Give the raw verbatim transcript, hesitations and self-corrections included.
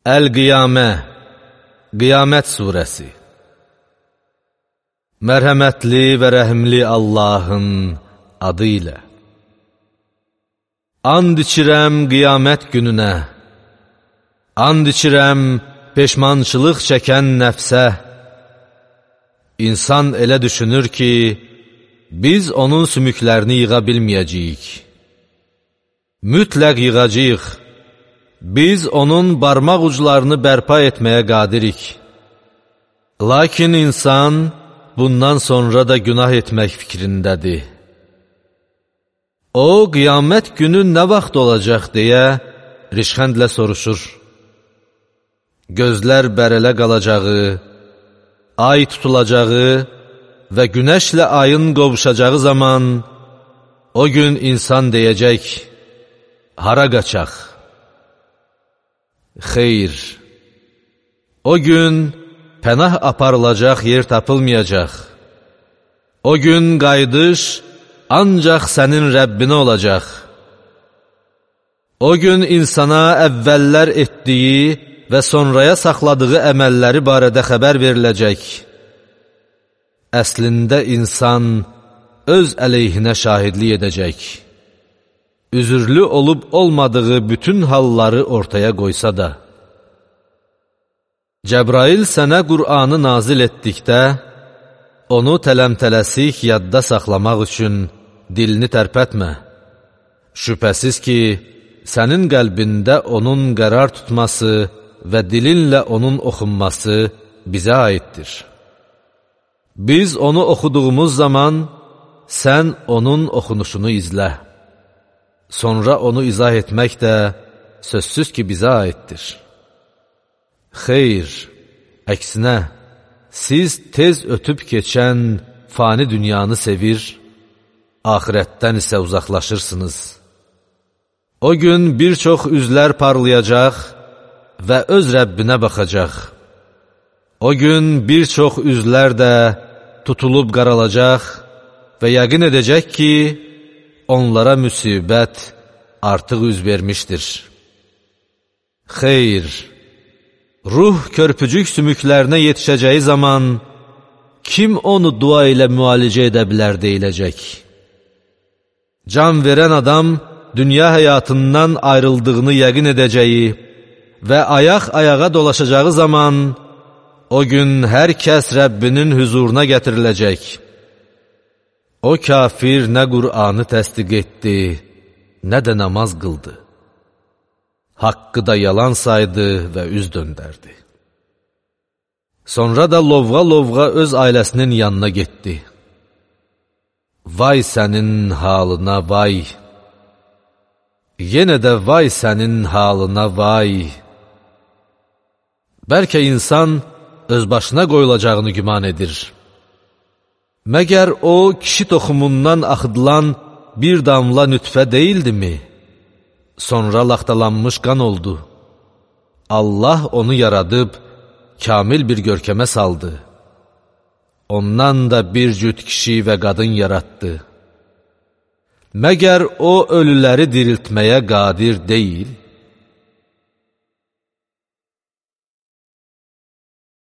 Əl-Qiyamə, Qiyamət surəsi. Mərhəmətli və rəhimli Allahın adı ilə. And içirəm qiyamət gününə, and içirəm peşmançılıq çəkən nəfsə. İnsan elə düşünür ki, biz onun sümüklərini yığa bilməyəcəyik. Mütləq yığacağıq. Biz onun barmaq uclarını bərpa etməyə qadirik. Lakin insan bundan sonra da günah etmək fikrindədir. O, qiyamət günü nə vaxt olacaq deyə rişxəndlə soruşur. Gözlər bərələ qalacağı, ay tutulacağı və günəşlə ayın qovuşacağı zaman o gün insan deyəcək, hara qaçaq? Xeyr, o gün pənah aparılacaq yer tapılmayacaq. O gün qayıdış ancaq sənin Rəbbinə olacaq. O gün insana əvvəllər etdiyi və sonraya saxladığı əməlləri barədə xəbər veriləcək. Əslində insan öz əleyhinə şahidlik edəcək. Üzürlü olub olmadığı bütün halları ortaya qoysa da. Cəbrail sənə Qur'anı nazil etdikdə, onu tələmtələsik yadda saxlamaq üçün dilini tərpətmə. Şübhəsiz ki, sənin qəlbində onun qərar tutması və dilinlə onun oxunması bizə aiddir. Biz onu oxuduğumuz zaman, sən onun oxunuşunu izlə. Sonra onu izah etmək də sözsüz ki, bizə aiddir. Xeyr, əksinə, siz tez ötüb keçən fani dünyanı sevir, axirətdən isə uzaqlaşırsınız. O gün bir çox üzlər parlayacaq və öz Rəbbinə baxacaq. O gün bir çox üzlər də tutulub qaralacaq və yəqin edəcək ki, onlara müsibət artıq üz vermişdir. Xeyr, ruh körpücük sümüklərinə yetişəcəyi zaman, kim onu dua ilə müalicə edə bilər deyiləcək. Can verən adam, dünya həyatından ayrıldığını yəqin edəcəyi və ayaq-ayağa dolaşacağı zaman, o gün hər kəs Rəbbinin hüzuruna gətiriləcək. O kafir nə Qur'anı təsdiq etdi, nə də namaz qıldı. Haqqı da yalan saydı və üz döndərdi. Sonra da lovğa-lovğa öz ailəsinin yanına getdi. Vay sənin halına vay! Yenə də vay sənin halına vay! Bəlkə insan öz başına qoyulacağını güman edir. Məgər o, kişi toxumundan axıdılan bir damla nütfə deyildimi? Sonra laxtalanmış qan oldu. Allah onu yaradıb, kamil bir görkəmə saldı. Ondan da bir cüt kişi və qadın yaratdı. Məgər o, ölüləri diriltməyə qadir deyil?